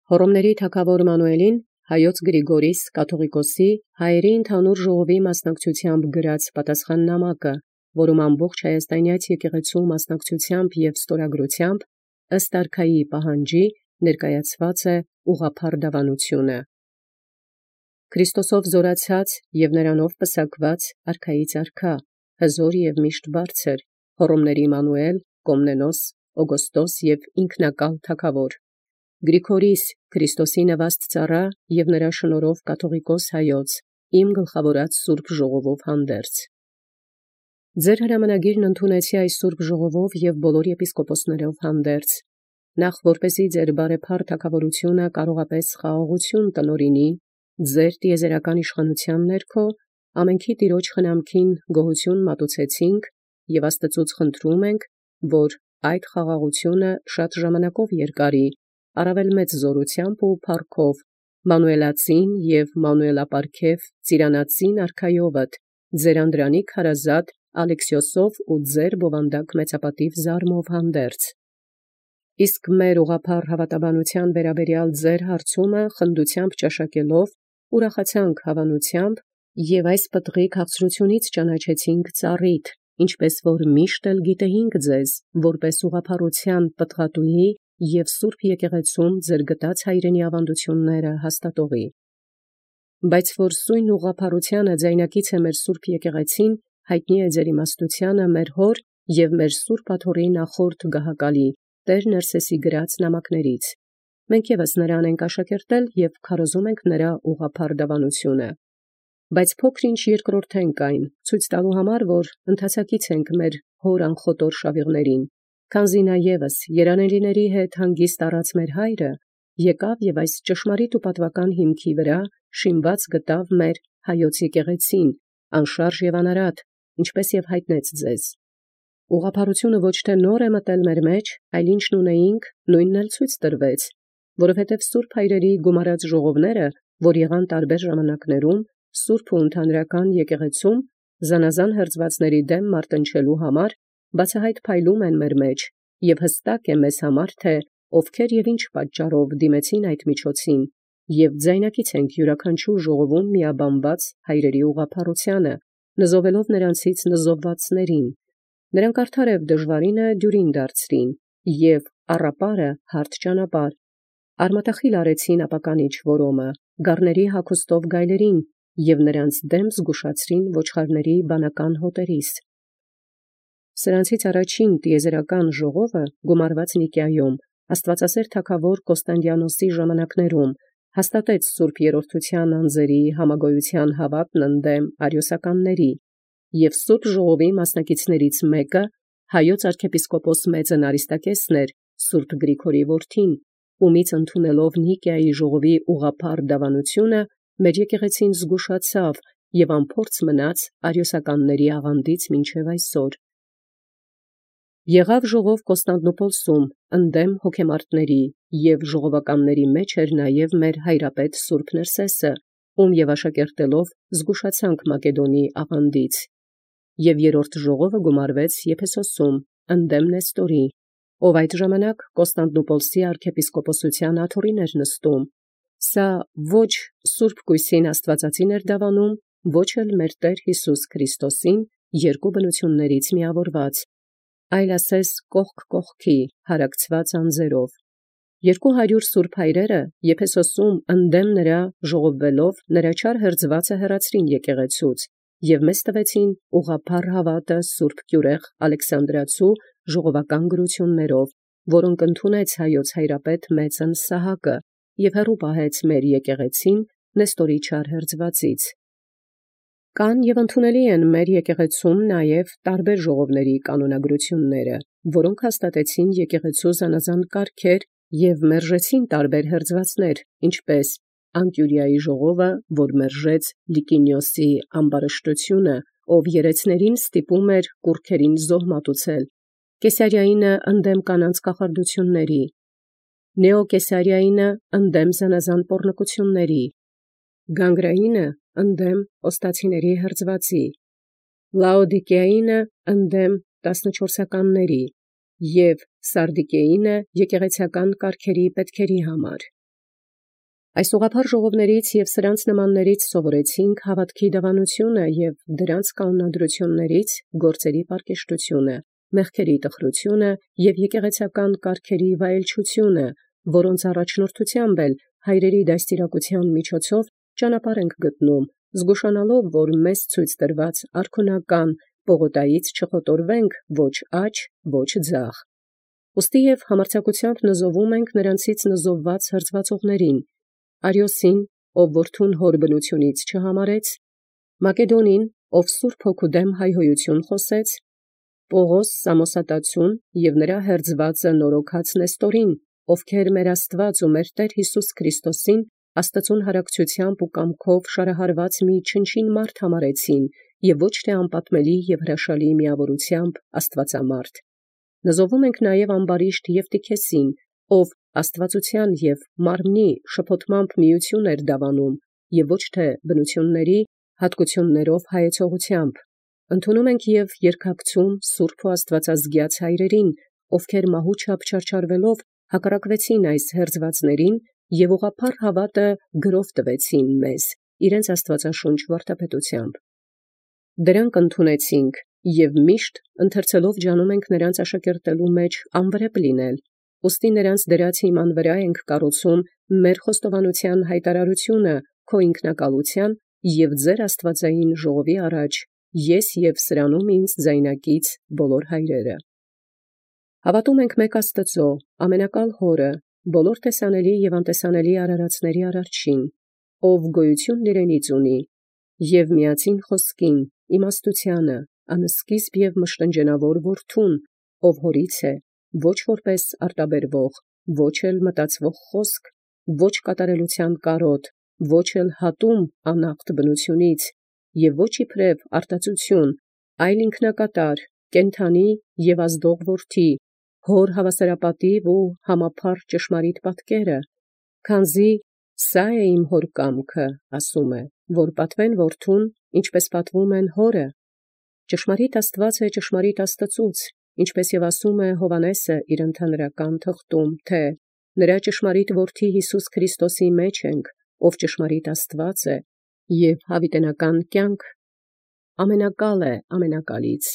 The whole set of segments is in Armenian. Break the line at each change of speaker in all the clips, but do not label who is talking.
Հոռոմների թագաւոր Մանուէլին հայոց Գրիգորիս կաթողիկոսի հայերի ընդհանուր ժողովի մասնակցությամբ գրած պատասխաննամակը, որում ամբողջ հայաստանյաց եկեղեցու մասնակցությամբ եւ ստորագրությամբ ըստ արքայի պահանջի ներկայացված է ուղղափառ դավանությունը։ Քրիստոսով զորացած եւ նրանով պսակված արքայից արքա, հզոր եւ միշտ բարձր, հոռոմների Մանուել, Կոմնենոս, Օգոստոս եւ ինքնակալ թագաւոր, Գրիգորիս Քրիստոսի նվաստ ծառա եւ նրա շնորհով կաթողիկոս հայոց, իմ գլխավորած սուրբ ժողովով հանդերձ։ Ձեր հրամանագիրն ընդունեցի այս սուրբ ժողովով եւ բոլոր եպիսկոպոսներով հանդերձ, նախ որպեսզի ձեր բարեփառ թագավորությունը կարողապես խաղաղություն տնօրինի, ձեր տիեզերական իշխանության ներքո ամենքի Տիրոջ խնամքին գոհություն մատուցեցինք եւ Աստծուց խնդրում ենք, որ այդ խաղաղությունը շատ ժամանակով երկարի, առավել մեծ զորությամբ ու փառքով, Մանուելացին եւ Մանուելապարգև ծիրանացին արքայովդ, ձեր անդրանիկ հարազատ Ալեքսիոսով ու ձեր բովանդակ մեծապատիվ զարմով հանդերձ։ Իսկ մեր ուղղափառ հավատաբանության վերաբերյալ ձեր հարցումը խնդությամբ ճաշակելով ուրախացանք հավանությամբ եւ այս պտղի քաղցրությունից ճանաչեցինք ծառիդ, ինչպես որ միշտ էլ գիտեինք ձեզ, որպես ուղղափառության պտղատուհի եւ սուրբ եկեղեցում ձեր գտած հայրենի ավանդությունները հաստատողի։ Բայց որ սույն ուղղափառությանը ձայնակից է մեր սուրբ եկեղեցին, հայտնի է ձեր իմաստութիւնը մեր հոր եւ մեր սուրբ աթոռի նախորդ գահակալի Տեր Ներսեսի գրած նամակներից։ Մենք եւս նրան ենք աշակերտել եւ քարոզում ենք նրա ուղղափառ դավանությունը։ Բայց փոքր-ինչ երկրորդենք այն, ցույց տալու համար, որ ընթացակից ենք մեր հոր անխոտոր շավիղներին, քանզի նա եւս երանելիների հետ հանգիստ առած մեր հայրը եկավ եւ այս ճշմարիտ ու պատվական հիմքի վրա շինված գտավ մեր հայոց եկեղեցին, անշարժ եւ անարատ, ինչպես եւ հայտնեց ձեզ։ Ուղղափառությունը ոչ թե նոր է մտել մեր մեջ, այլ ինչն ունեինք, նույնն էլ ցույց տրվեց, որովհետև սուրբ հայրերի գումարած ժողովները, որ եղան տարբեր ժամանակներում, սուրբ ու ընդհանրական եկեղեցում, զանազան հրձվածների դեմ մարտնչելու համար, բացահայտ փայլում են մեր մեջ, եւ հստակ է մեզ համար, թե ովքեր եւ ինչ պատճառով դիմեցին այդ միջոցին, եւ ձայնակից ենք յուրաքանչյուր ժողովում միաբանված հայրերի ուղղափառությանը, նզովելով նրանցից նզովվածներին, նրանք արդարև դժվարինը դյուրին դարձրին, եւ առապարը հարթ ճանապարհ, արմատախիլ արեցին ապականիչ որոմը, գառների հագուստով գայլերին, եւ նրանց դեմ զգուշացրին ոչխարների բանական հոտերիս։ Սրանցից առաջին տիեզերական ժողովը գումարված Նիկիայում, Աստվածասեր թագավոր Կոստանդիանոսի ժամանակներում, հաստատեց սուրբ երրորդության անձերի համագոյության հավատն ընդդեմ արիոսականների, եւ սուրբ ժողովի մասնակիցներից մեկը հայոց arczepiskopos մեծն Արիստակեսն էր, սուրբ Գրիգորի որդին, ումից ընդունելով Նիկիայի ժողովի ուղղափառ դավանությունը, մեր եկեղեցին զգուշացավ եւ անփորձ մնաց արիոսականների աղանդից մինչև այսօր։ Եղավ ժողով Կոստանդնուպոլսում ընդդեմ հոգեմարտների եւ ժողովականների մեջ էր նաեւ մեր հայրապետ Սուրբ Ներսեսը, ում եւ աշակերտելով զգուշացանք Մակեդոնի աղանդից, եւ երրորդ ժողովը գումարվեց Եփեսոսում ընդդեմ Նեստորի, ով այդ ժամանակ Կոստանդնուպոլսի arczepiskoposության աթոռին էր նստում։ Սա ոչ Սուրբ Կույսին Աստվածածին էր դավանում, ոչ էլ մեր Տեր Հիսուս Քրիստոսին երկու բնություններից միավորված, այլ ասես կողք կողքի հարակցված անձերով։ 200 սուրբ հայրերը Եփեսոսում ընդդեմ նրա ժողովվելով նրա չար հրձվածը հեռացրին եկեղեցուց եւ մեզ տվեցին ուղղափառ հավատը սուրբ կյուրեղ Ալեքսանդրացու ժողովական գրություններով, որոնք ընդունեց հայոց հայրապետ մեծն Սահակը եւ հեռու պահեց մեր եկեղեցին Նեստորի չար հրձվածից։ Կան եւ ընդունելի են մեր եկեղեցում նաեւ տարբեր ժողովների կանոնագրությունները, որոնք հաստատեցին եկեղեցու զանազան կարգեր եւ մերժեցին տարբեր հրձվածներ, ինչպես Անկյուրիայի ժողովը, որ մերժեց Լիկինիոսի ամբարշտությունը, ով երեցներին ստիպում էր կուրքերին զոհ մատուցել, Կեսարիայինը ընդդեմ կանանց կախարդությունների, Նեոկեսարիայինը ընդդեմ զանազան պոռնկությունների, Գանգրայինը ընդդեմ օստացիների հրձվածի, Լաոդիկեայինը ընդդեմ 14-ականների եւ Սարդիկեինը եկեղեցական կարգերի պետքերի համար։ Այս ուղղափառ ժողովներից և սրանց նմաններից սովորեցինք հավատքի դավանությունը և դրանց կանոնադրություններից գործերի պարկեշտությունը, մեղքերի տխրությունը և եկեղեցական կարգերի վայելչությունը, որոնց առաջնորդությամբ էլ հայրերի դաստիարակության միջոցով ճանապարհ ենք գտնում, զգուշանալով, որ մեզ ցույց տրված արքունական պողոտայից չխոտորվենք ոչ աջ, ոչ ձախ։ Ուստի և համարձակությամբ նզովում ենք նրանցից նզովված հրձվածողներին, Արիոսին, ով որդուն հոր բնությունից չհամարեց, Մակեդոնին, ով Սուրբ Հոգու դեմ հայհոյություն խոսեց, Պողոս Սամոսատացուն և նրա հերձվածը նորոգած Նեստորին, ովքեր մեր Աստված ու մեր Տեր Յիսուս Քրիստոսին Աստծուն հարակցությամբ ու կամքով շարահարված մի չնչին մարդ համարեցին և ոչ թե անպատմելի և հրաշալի միավորությամբ աստվածամարդ։ Նզովում ենք նաև ամբարիշտ Եվտիքեսին, ով աստվածության և մարմնի շփոթմամբ միություն էր դավանում և ոչ թե բնությունների հատկություններով հայեցողությամբ։ Ընդունում ենք և երկակցում սուրբ ու աստվածազգյաց հայրերին, ովքեր մահու չափ չարչարվելով հակառակվեցին այս հերձվածներին և ուղղափառ հավատը գրով տվեցին մեզ իրենց աստվածաշունչ վարդապետությամբ։ Դրանք ընդունեցինք և միշտ ընթերցելով ջանում ենք նրանց աշակերտելու մեջ անվրեպ լինել, ուստի նրանց դրած հիման վրա ենք կառուցում մեր խոստովանության հայտարարությունը քո ինքնակալության և ձեր աստվածային ժողովի առաջ, ես և սրանում ինձ ձայնակից բոլոր հայրերը։ Հավատում ենք մեկ Աստծո, ամենակալ Հորը, բոլոր տեսանելի և անտեսանելի արարածների Արարչին, ով գոյություն իրենից ունի, և միածին խոսքին, իմաստությանը, անսկիզբ և մշտնջենավոր Որդուն, ով հորից է, ոչ որպես արտաբերվող, ոչ էլ մտածվող խոսք, ոչ կատարելության կարոտ, ոչ էլ հատում անախտ բնությունից, և ոչ իբրև արտածություն, այլ ինքնակատար, կենդանի և ազդող Որդի, հոր հավասարապատիվ ու համափառ ճշմարիտ պատկերը, քանզի սա է իմ հոր կամքը, ասում է, որ պատվեն Որդուն, ինչպես պատվում են հորը։ Ճշմարիտ Աստված է ճշմարիտ Աստծուց, ինչպես և ասում է Հովհաննեսը իր ընդհանրական թղթում, թե նրա ճշմարիտ Որդի Յիսուս Քրիստոսի մեջ ենք, ով ճշմարիտ Աստված է և հավիտենական կյանք, ամենակալ է ամենակալից,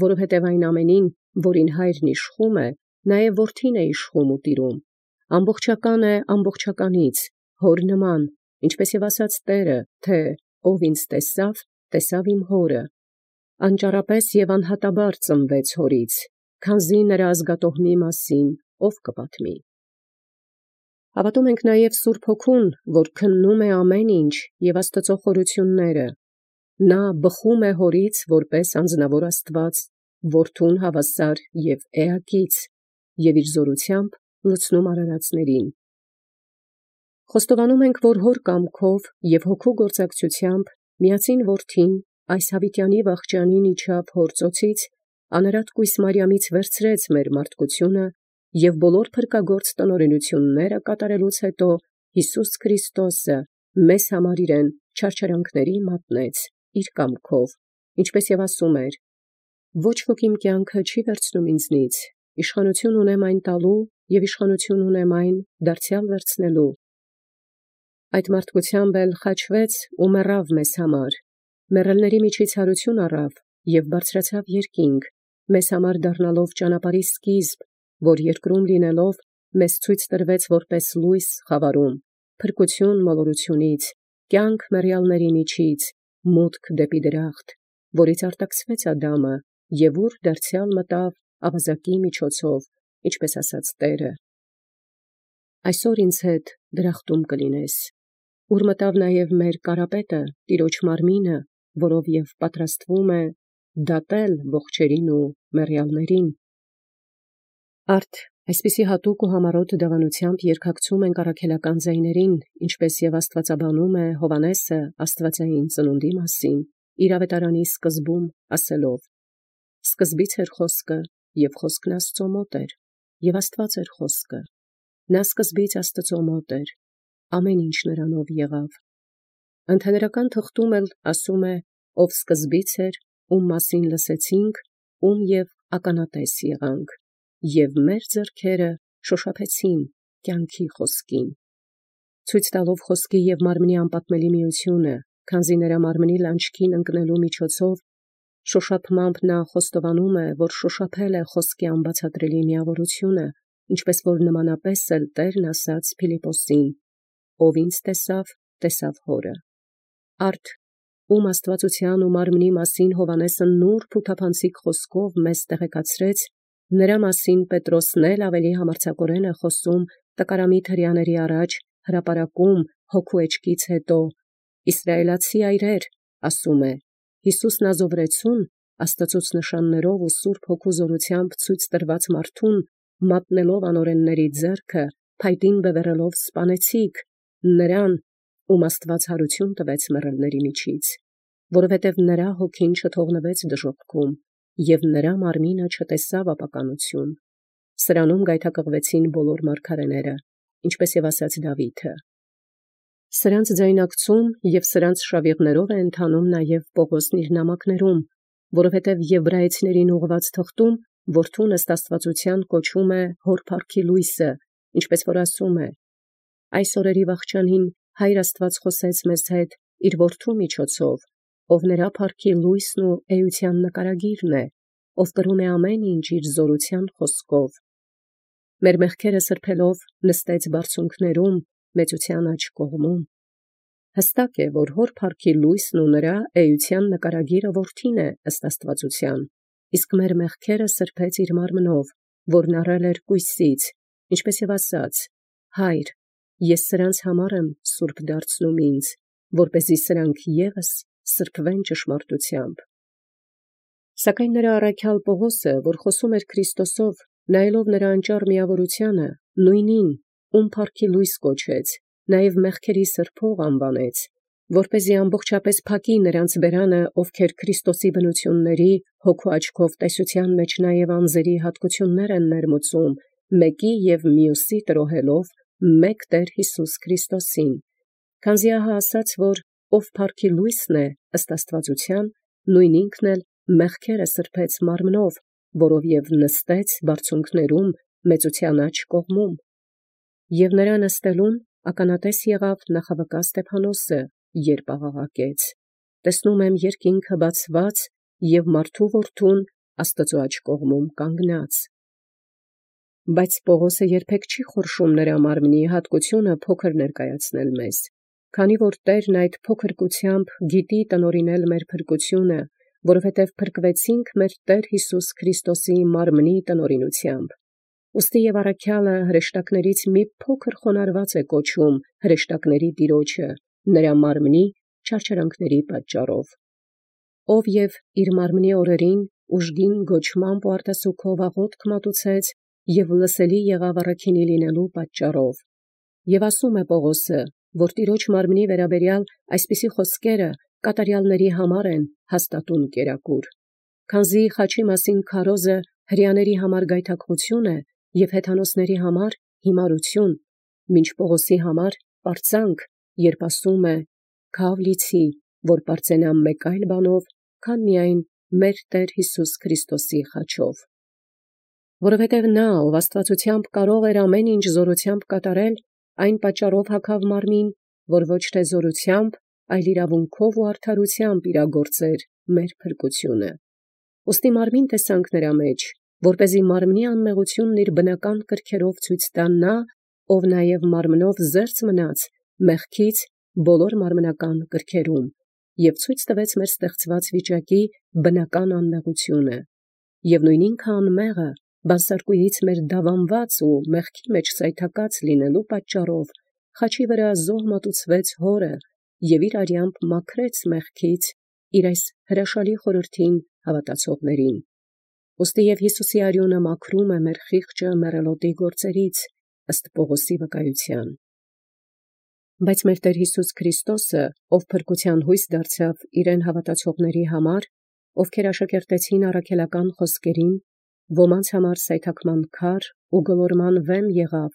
որովհետև այն ամենին, որին հայրն իշխում է, նաև Որդին է իշխում ու տիրում, ամբողջական է ամբողջականից, հոր նման, ինչպես և ասաց Տերը, թե ով ինձ տեսավ, տեսավ իմ հորը, անճարապես և անհատաբար ծնվեց հորից, քանզի նրա ազգատոհմի մասին ով կպատմի։ Հավատում ենք նաև Սուրբ Հոգուն, որ քննում է ամեն ինչ և Աստծո խորությունները, նա բխում է հորից որպես անձնավոր Աստված, Որդուն հավասար և էակից, և իր զորությամբ լցնում արարածներին։ Խոստովանում ենք, որ հոր կամքով և հոգու գործակցությամբ միածին Որդին այս հավիտյանի վախճանին իջավ հոր ծոցից, անարատ կույս Մարիամից վերցրեց մեր մարդկությունը և բոլոր փրկագործ տնօրենությունները կատարելուց հետո Յիսուս Քրիստոսը մեզ համար իրեն չարչարանքների մատնեց իր կամքով, ինչպես և ասում էր. ոչ ոք իմ կյանքը չի վերցնում ինձնից, իշխանություն ունեմ այն տալու և իշխանություն ունեմ այն դարձյալ վերցնելու։ Այդ մարդկությամբ էլ խաչվեց ու մեռավ մեզ համար, մեռելների միջից հարություն առավ և բարձրացավ երկինք, մեզ համար դառնալով ճանապարհի սկիզբ, որ երկրում լինելով մեզ ցույց տրվեց որպես լույս խավարում, փրկություն մոլորությունից, կյանք մեռյալների միջից, մուտք դեպի դրախտ, որից արտաքսվեց Ադամը և ուր դարձյալ մտավ ավազակի միջոցով, ինչպես ասաց Տերը. այսօր ինձ հետ դրախտում կլինես, ուր մտավ նաև մեր Կարապետը, Տիրոջ մարմինը, որով և պատրաստվում է դատել ողջերին ու մեռյալներին։ Արդ այսպիսի հատուկ ու համառոտ դավանությամբ երկակցում ենք առաքելական ձայներին, ինչպես և աստվածաբանում է Հովհաննեսը աստվածային ծնունդի մասին, իր ավետարանի սկզբում ասելով. սկզբից էր խոսքը, և խոսքն Աստծո մոտ էր, և Աստված էր խոսքը, նա սկզբից Աստծո մոտ էր, ամեն ինչ նրանով եղավ։ Ընդհանրական թղթում էլ ասում է, ով սկզբից էր, ում մասին լսեցինք, ում և ականատես եղանք, և մեր ձեռքերը շոշափեցին կյանքի խոսքին։ ցույց տալով խոսքի եւ մարմնի անպատմելի միությունը, քանզի նրա մարմնի լանջքին ընկնելու միջոցով շոշափմամբ նա խոստովանում է, որ շոշափել է խոսքի անբացատրելի միավորությունը, ինչպես որ նմանապես էլ Տերն ասաց Փիլիպոսին. «Ով ինձ տեսավ, տեսավ Հորը»։ Արդ ում աստվածության ու մարմնի մասին Հովհաննեսը նուրբ ու թափանցիկ խոսքով մեզ տեղեկացրեց, նրա մասին Պետրոսն էլ ավելի համարձակորեն է խոսում տկարամիտ հրեաների առաջ հրապարակում հոգու էջքից հետո. «Իսրայելացի այրեր, ասում է, Հիսուս Նազովրեցուն Աստծուց նշաններով ու Սուրբ Հոգու զորությամբ ցույց տրված մարդուն մատնելով անօրենների ձեռքը, փայտին բևեռելով սպանեցիք, նրան, ում Աստված հարություն տվեց մեռելների միջից, որովհետև նրա հոգին չթողնվեց դժոխքում, և նրա մարմինը չտեսավ ապականություն։ Սրանում գայթակղվեցին բոլոր մարգարեները, ինչպես և ասաց Դավիթը։ Սրանց ձայնակցում և սրանց շավիղներով է ընթանում նաև Պողոսն իր նամակներում, որովհետև եբրայեցիներին ուղղված թղթում որդուն ըստ աստվածության կոչում է հոր փառքի լույսը, ինչպես որ ասում է. «Այս օրերի վախճանին Հայր Աստված խոսեց մեզ հետ իր որդու միջոցով, ով նրա փառքի լույսն ու էության նկարագիրն է, ով կրում է ամեն ինչ իր զորության խոսքով։ Մեր մեղքերը սրբելով նստեց բարձունքներում, մեծության աջ կողմում»։ Հստակ է, որ հոր փառքի լույսն ու նրա էության նկարագիրը որդին է ըստ աստվածության, իսկ մեր մեղքերը սրբեց իր մարմնով, որն առել էր կույսից, ինչպես և ասաց. «Հայր, ես սրանց համար եմ սուրբ դարձնում ինձ, որպեսզի սրանք ևս սրբվեն ճշմարտությամբ»։ Սակայն նրա առաքյալ Պողոսը, որ խոսում էր Քրիստոսով, նայելով նրա անճառ միավորությանը, նույնին, ում փառքի լույս կոչեց, նաև մեղքերի սրբող անվանեց, որպեսզի ամբողջապես փակի նրանց բերանը, ովքեր Քրիստոսի բնությունների հոգու աչքով տեսության մեջ նաև անձերի հատկություններ են ներմուծում, մեկի և մյուսի տրոհելով մեկ Տեր Հիսուս Քրիստոսին, քանզի ահա ասաց, որ ով փառքի լույսն է ըստ աստվածության, նույն ինքն էլ մեղքերը սրբեց մարմնով, որով և նստեց բարձունքներում մեծության աջ կողմում։ Եվ նրա նստելուն ականատես եղավ նախավկա Ստեփանոսը, երբ աղաղակեց. «Տեսնում եմ երկինքը բացված և մարդու որդուն Աստծու աջ կողմում կանգնած»։ Բայց Պողոսը երբեք չի խորշում նրա մարմնի հատկությունը փոքր ներկայացնել մեզ, քանի որ Տերն այդ փոքրկությամբ գիտի տնօրինել մեր փրկությունը, որովհետև փրկվեցինք մեր Տեր Հիսուս Քրիստոսի մարմնի տնօրինությամբ։ Ուստի և առաքյալը հրեշտակներից մի փոքր խոնարհված է կոչում հրեշտակների Տիրոջը, նրա մարմնի չարչարանքների պատճառով, ով և իր մարմնի օրերին ուժգին գոչմամբ ու արտասուքով աղոթք մատուցեց և լսելի եղավ առաքինի լինելու պատճառով։ Եվ ասում է Պողոսը, որ Տիրոջ մարմնի վերաբերյալ այսպիսի խոսքերը կատարյալների համար են հաստատուն կերակուր, քանզի խաչի մասին քարոզը հրեաների համար գայթակղություն է և հեթանոսների համար հիմարություն, մինչ Պողոսի համար պարծանք, երբ ասում է. «Քավ լիցի, որ պարծենամ մեկ այլ բանով, քան միայն մեր Տեր Հիսուս Քրիստոսի խաչով»։ Որովհետև նա, ով աստվածությամբ կարող էր ամեն ինչ զորությամբ կատարել, այն պատճառով հագավ մարմին, որ ոչ թե զորությամբ, այլ իրավունքով ու արդարությամբ իրագործեր մեր փրկությունը։ Ուստի մարմին տեսանք նրա մեջ, որպեսզի մարմնի անմեղությունն իր բնական կրքերով ցույց տա նա, ով նաև մարմնով զերծ մնաց մեղքից բոլոր մարմնական կրքերում, և ցույց տվեց մեր ստեղծված վիճակի բնական անմեղությունը, և նույն ինքը անմեղը բանսարկուից մեր դավանված ու մեղքի մեջ սայթակած լինելու պատճառով խաչի վրա զոհ մատուցվեց Հորը և իր արյամբ մաքրեց մեղքից իր այս հրաշալի խորհրդին հավատացողներին։ Ուստի և Հիսուսի արյունը մաքրում է մեր խիղճը մեռելոտի գործերից, ըստ Պողոսի վկայության։ Բայց մեր Տեր Հիսուս Քրիստոսը, ով փրկության հույս դարձավ իրեն հավատացողների համար, ովքեր աշակերտեցին առաքելական խոսքերին, ոմանց համար սայթաքման քար ու գլորման վեմ եղավ,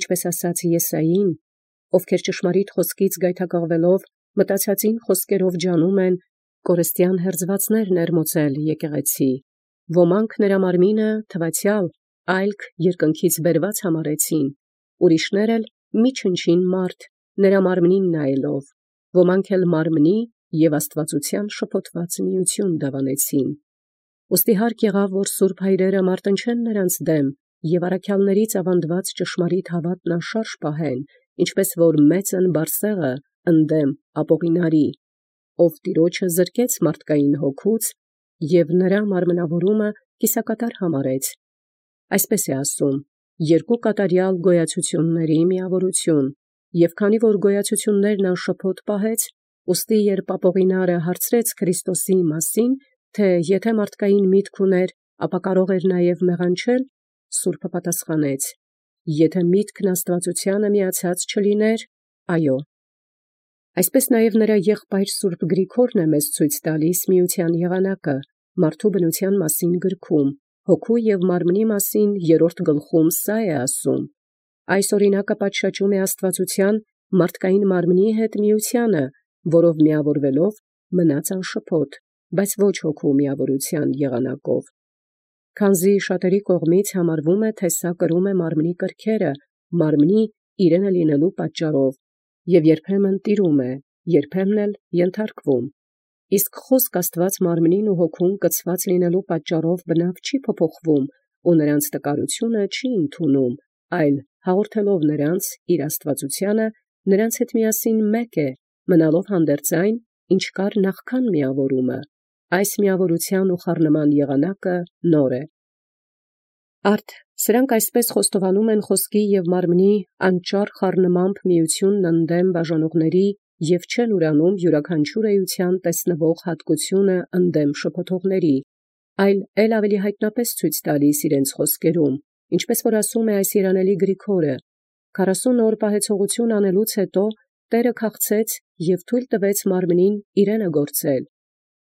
ինչպես ասաց Եսային, ովքեր ճշմարիտ խոսքից գայթակղվելով մտածածին խոսքերով ջանում են կորստյան հերձվածներ ներմուծել եկեղեցի, ոմանք նրա մարմինը թվացյալ այլք երկնքից բերված համարեցին, ուրիշներ էլ մի չնչին մարդ, նրա մարմնին նայելով, ոմանք էլ մարմնի և աստվածության շփոթված միություն դավանեցին։ Ուստի հարկ եղավ, որ սուրբ հայրերը մարտնչեն նրանց դեմ և առաքյալներից ավանդված ճշմարիտ հավատն անշարժ պահեն, ինչպես որ մեծն Բարսեղը ընդդեմ Ապողինարի, ով Տիրոջը զրկեց մարդկային հոգուց և նրա մարմնավորումը կիսակատար համարեց։ Այսպես է ասում. երկու կատարյալ գոյացությունների միավորություն, և քանի որ գոյացություններն անշփոթ պահեց, ուստի երբ Ապողինարը հարցրեց Քրիստոսի մասին, թե եթե մարդկային միտք ուներ, ապա կարող էր նաև մեղանչել, Սուրբը պատասխանեց. եթե միտքն աստվածությանը միացած չլիներ, այո։ Այսպես նաև նրա եղբայր Սուրբ Գրիգորն է մեզ ցույց տալիս միության եղանակը մարդու բնության մասին գրքում, հոգու և մարմնի մասին 3 գլխում սա է ասում. այս օրինակը պատշաճում է աստվածության մարդկային մարմնի հետ միությանը, որով միավորվելով մնաց անշփոթ, բայց ոչ հոգու միավորության եղանակով։ Քանզի շատերի կողմից համարվում է, թե սա կրում է մարմնի կրքերը, մարմնի իրենը լինելու պատճառով, և երբեմն տիրում է, երբեմն էլ ենթարկվում։ Իսկ խոսք Աստված մարմնին ու հոգուն կցված լինելու պատճառով բնավ չի փոփոխվում ու նրանց տկարությունը չի ընդունում, այլ հաղորդելով նրանց իր աստվածությանը, նրանց հետ միասին մեկ է, մնալով հանդերձ այն, ինչ կար նախքան միավորումը։ Այս միավորության ու խառնման եղանակը նոր է։ Արդ սրանք այսպես խոստովանում են խոսքի և մարմնի անճար խառնմամբ միությունն ընդդեմ բաժանողների և չեն ուրանում յուրաքանչյուր էության տեսնվող հատկությունը ընդդեմ շփոթողների, այլ էլ ավելի հայտնապես ցույց տալիս իրենց խոսքերում, ինչպես որ ասում է այս երանելի Գրիգորը. 40 օր պահեցողություն անելուց հետո Տերը քաղցեց և թույլ տվեց մարմնին իրենը գործել։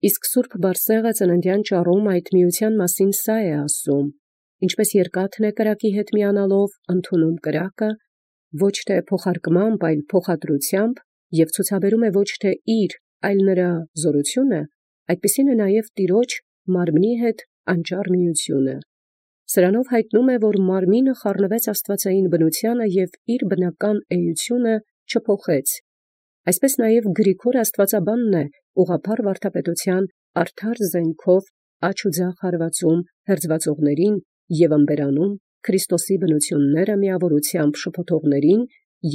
Իսկ Սուրբ Բարսեղը ծննդյան ճառում այդ միության մասին սա է ասում. ինչպես երկաթն է կրակի հետ միանալով ընդունում կրակը, ոչ թե փոխարկմամբ, այլ փոխադրությամբ, և ցուցաբերում է ոչ թե իր, այլ նրա զորությունը, այդպիսին է նաև Տիրոջ մարմնի հետ անճառ միությունը։ Սրանով հայտնում է, որ մարմինը խառնվեց աստվածային բնությանը և իր բնական էությունը չփոխեց։ Այսպես նաև Գրիգոր աստվածաբանն է ուղղափառ վարդապետության արդար զենքով աջ ու ձախ հարվածում հերձվածողներին և ըմբերանում Քրիստոսի բնությունները միավորությամբ շփոթողներին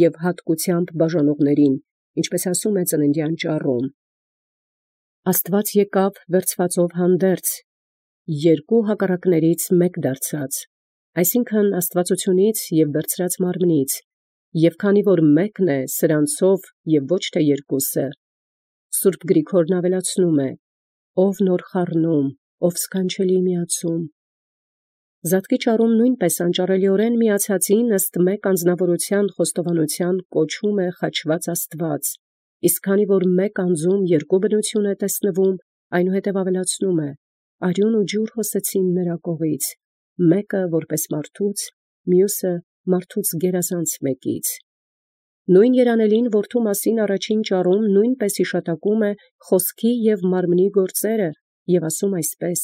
և հատկությամբ բաժանողներին, ինչպես ասում է ծննդյան ճառում. Աստված եկավ վերցվածով հանդերձ, երկու հակառակներից մեկ դարձած, այսինքն աստվածությունից և վերցրած մարմնից, և քանի որ մեկն է սրանցով և ոչ թե երկուսը, Սուրբ Գրիգորն ավելացնում է. ով նոր խառնում, ով սքանչելի միացում։ Զատկի ճառում նույնպես անճառելիորեն միացածին ըստ մեկ անձնավորության խոստովանության կոչում է խաչված Աստված, իսկ քանի որ մեկ անձում երկու բնություն է տեսնվում, այնուհետև ավելացնում է. արյուն ու ջուր հոսեցին նրա կողից, մեկը որպես մարդուց, մյուսը մարդուց գերազանց մեկից։ Նույն երանելին որդու մասին առաջին ճառում նույնպես հիշատակում է խոսքի և մարմնի գործերը և ասում այսպես.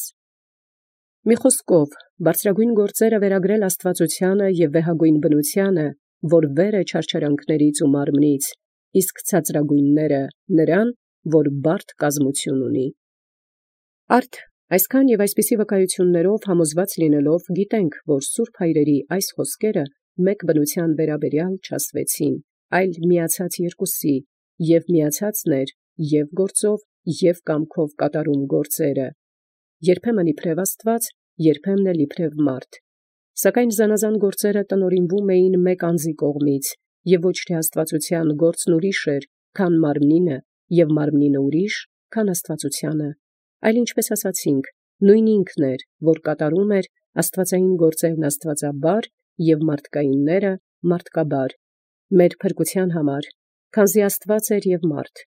մի խոսքով, բարձրագույն գործերը վերագրել աստվածությանը և վեհագույն բնությանը, որ վեր է չարչարանքներից ու մարմնից, իսկ ցածրագույնները նրան, որ բարդ կազմություն ունի։ Արդ այսքան և այսպիսի վկայություններով համոզված լինելով գիտենք, որ սուրբ հայրերի այս խոսքերը մեկ բնության վերաբերյալ չասվեցին, այլ միացած երկուսի, և միացածն էր և գործով, և կամքով կատարում գործերը, երբեմն իբրև Աստված, երբեմն էլ իբրև մարդ, սակայն զանազան գործերը տնօրինվում էին մեկ անձի կողմից, և ոչ թե աստվածության գործն ուրիշ էր, քան մարմնինը, և մարմնինը ուրիշ, քան աստվածությանը, այլ ինչպես ասացինք, նույն ինքն էր, որ կատարում էր աստվածային գործերն աստվածաբար և մարդկայինները մարդկաբար, մեր փրկության համար, քանզի Աստված էր և մարդ։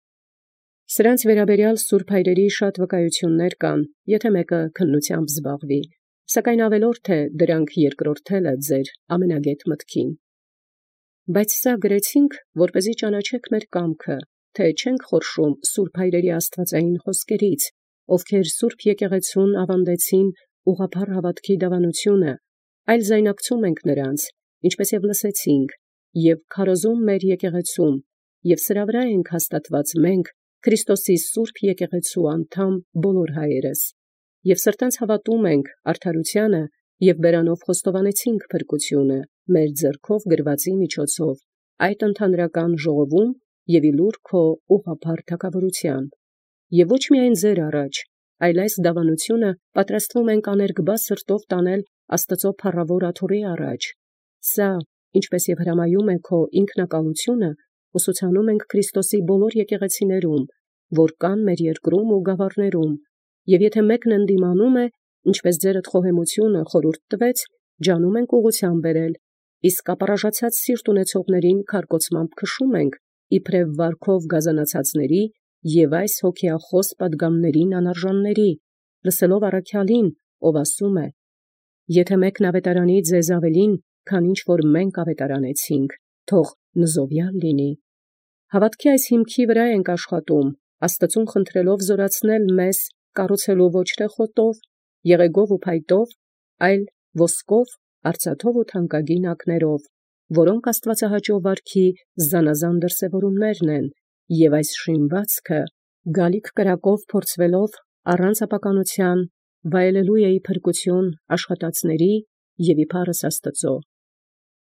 Սրանց վերաբերյալ սուրբ հայրերի շատ վկայություններ կան, եթե մեկը քննությամբ զբաղվի, սակայն ավելորդ է դրանք երկրորդելը ձեր ամենագետ մտքին։ Բայց սա գրեցինք, որպեսզի ճանաչեք մեր կամքը, թե չենք խորշում սուրբ հայրերի աստվածային խոսքերից, ովքեր սուրբ եկեղեցուն ավանդեցին ուղղափառ հավատքի դավանությունը, այլ զայնակցում ենք նրանց, ինչպես և լսեցինք, և քարոզում մեր եկեղեցում, և սրա վրա ենք հաստատված մենք, Քրիստոսի սուրբ եկեղեցու անդամ բոլոր հայերս, և սրտանց հավատում ենք արդարութիանը և բերանով խոստովանեցինք փրկությունը մեր ձեռքով գրվածի միջոցով, այդ ընդհանրական ժողովում և իլուր քո ուղղափառ թագավորության, և ոչ միայն ձեր առաջ, այլ այս դավանությունը պատրաստվում ենք աներկբա սրտով տանել Աստծո փառավոր աթոռի առաջ. սա, ինչպես և հրամայում է քո ինքնակալությունը, ուսուցանում ենք Քրիստոսի բոլոր եկեղեցիներում, որ կան մեր երկրում ու գավառներում, և եթե մեկն ընդդիմանում է, ինչպես ձերդ խոհեմությունը խորհուրդ տվեց, ջանում ենք ուղղության բերել, իսկ ապառաժացած սիրտ ունեցողներին քարկոծմամբ քշում ենք, իբրև վարքով գազանացածների և այս հոգեախոս պատգամներին անարժանների, լսելով առաքյալին, ով ասում է. «Եթե մեկն ավետարանի ձեզ ավելին, քան ինչ որ մենք ավետարանեցինք, թող նզովյալ լինի»։ Հավատքի այս հիմքի վրա ենք աշխատում, Աստծուն խնդրելով զորացնել մեզ, կառուցելու ոչ թե խոտով, եղեգով ու փայտով, այլ ոսկով, արծաթով ու թանկագին ակներով, որոնք աստվածահաճո վարքի զանազան դրսևորումներն են, և այս շինվածքը գալիք կրակով փորձվելով առանց ապականության վայելելու է ի փրկություն աշխատածների և ի փառս Աստծո։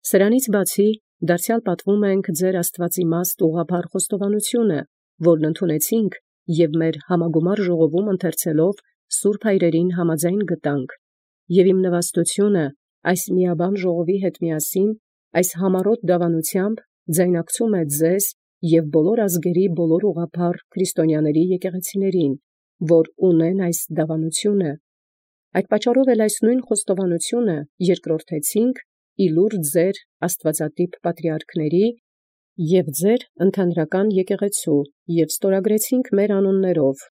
Սրանից բացի, դարձյալ պատվում ենք ձեր աստվածիմաստ ուղղափառ խոստովանությունը, որն ընդունեցինք և մեր համագումար ժողովում ընթերցելով սուրբ հայրերին համաձայն գտանք, և իմ նվաստությունը այս միաբան ժողովի հետ միասին այս համառոտ դավանությամբ ձայնակցում է ձեզ և բոլոր ազգերի բոլոր ուղղափառ քրիստոնյաների եկեղեցիներին, որ ունեն այս դավանությունը։ Այդ պատճառով էլ այս նույն խոստովանությունը երկրորդեցինք իլուր ձեր աստվածատիպ պատրիարքների և ձեր ընդհանրական եկեղեցու և ստորագրեցինք մեր անուններով,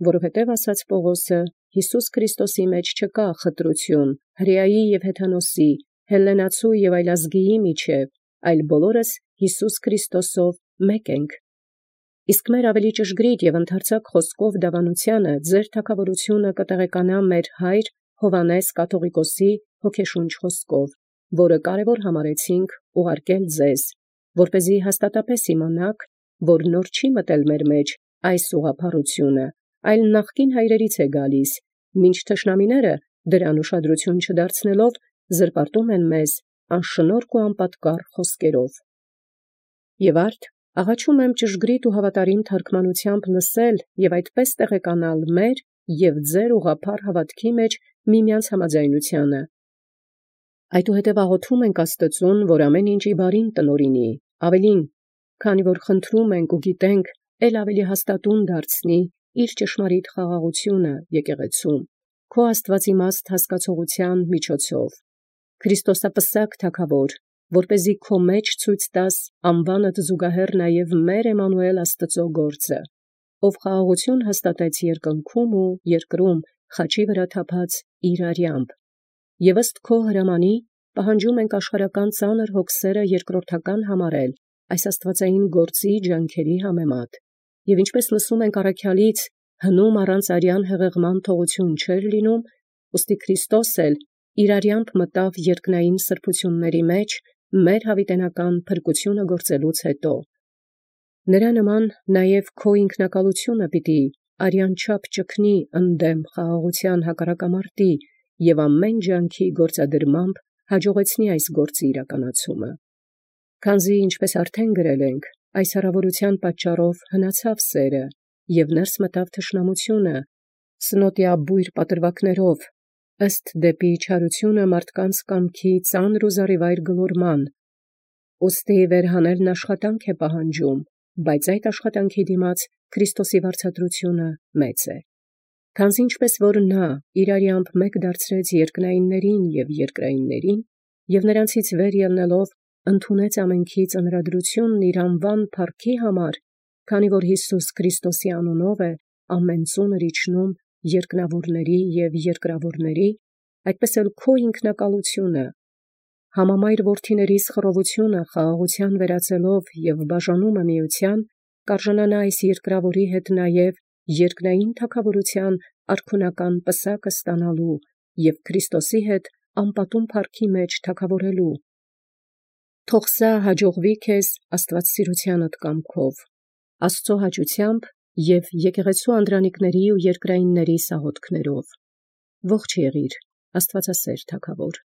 որովհետև ասաց Պողոսը. Հիսուս Քրիստոսի մեջ չկա խտրություն, հրեայի և հեթանոսի, հելլենացու և այլազգիի միջև, այլ բոլորս Հիսուս Քրիստոսով մեկ ենք։ Իսկ մեր ավելի ճշգրիտ և ընդարձակ խոսքով դավանությանը ձեր թագավորությունը կտեղեկանա մեր հայր Հովհաննես կաթողիկոսի հոգեշունչ խոսքով, որը կարևոր համարեցինք ուղարկել ձեզ, որպեսզի հաստատապես իմանաք, որ նոր չի մտել մեր մեջ այս ուղղափառությունը, այլ նախկին հայրերից է գալիս, մինչ թշնամիները դրան ուշադրություն չդարձնելով զրպարտում են մեզ անշնորհք ու անպատկառ խոսքերով։ Եվ արդ աղաչում եմ ճշգրիտ ու հավատարիմ թարգմանությամբ լսել և այդպես տեղեկանալ մեր և ձեր ուղղափառ հավատքի մեջ միմյանց համաձայնությանը։ Այդուհետև աղոթում ենք Աստծուն, որ ամեն ինչ ի բարին տնօրինի, ավելին, քանի որ խնդրում ենք ու գիտենք, էլ ավելի հաստատուն դարձնի իր ճշմարիտ խաղաղությունը եկեղեցում, քո աստվածիմաստ հասկացողության միջոցով, Քրիստոսապսակ թագավոր, որպեսզի քո մեջ ցույց տաս անվանդ զուգահեռ նաև մեր Էմմանուել Աստծո գործը, ով խաղաղություն հաստատեց երկնքում ու երկրում խաչի վրա թափած իր արյամբ, և ըստ քո հրամանի պահանջում ենք աշխարհական ծանր հոգսերը երկրորդական համարել այս աստվածային գործի ջանքերի համեմատ, և ինչպես լսում ենք առաքյալից, հնում առանց արյան հեղեղման թողություն չէր լինում, ուստի Քրիստոս էլ իր արյամբ մտավ երկնային սրբությունների մեջ մեր հավիտենական փրկությունը գործելուց հետո։ Նրա նման նաև քո ինքնակալությունը պիտի արյան չափ ճգնի ընդդեմ խաղաղության հակառակամարտի և ամեն ջանքի գործադրմամբ հաջողեցնի այս գործի իրականացումը։ Քանզի ինչպես արդեն գրել ենք, այս հրավորության պատճառով հնացավ սերը և ներս մտավ թշնամությունը, սնոտի բույր պատրվակներով, ըստ դեպի չարությունը մարդկանց կամքի ծանր ու զառիվայր գլորման, ուստի վերհանելն աշխատանք է պահանջում, բայց այդ աշխատանքի դիմաց Քրիստոսի վարձատրությունը մեծ է։ Քանզի ինչպես որ նա իր արյամբ մեկ դարձրեց երկնայիններին և երկրայիններին, և նրանցից վեր ելնելով ընդունեց ամենքի ծնրադրությունն իր անվան փառքի համար, քանի որ Հիսուս Քրիստոսի անունով է ամեն ծունր իջնում երկնավորների և երկրավորների, այդպես էլ քո ինքնակալությունը համամայր որդիներիս խռովությունը խաղաղության վերածելով և բաժանումը միության, կարժանանա այս երկրավորի հետ նաև երկնային թագավորության արքունական պսակը ստանալու և Քրիստոսի հետ անպատում փառքի մեջ թագավորելու։ Թող սա հաջողվի քեզ աստվածասիրությանդ կամքով, Աստծո հաճութեամբ և եկեղեցու անդրանիկների ու երկրայինների սաղոտքներով։ Ողջ եղիր, Աստվածասեր թագավոր։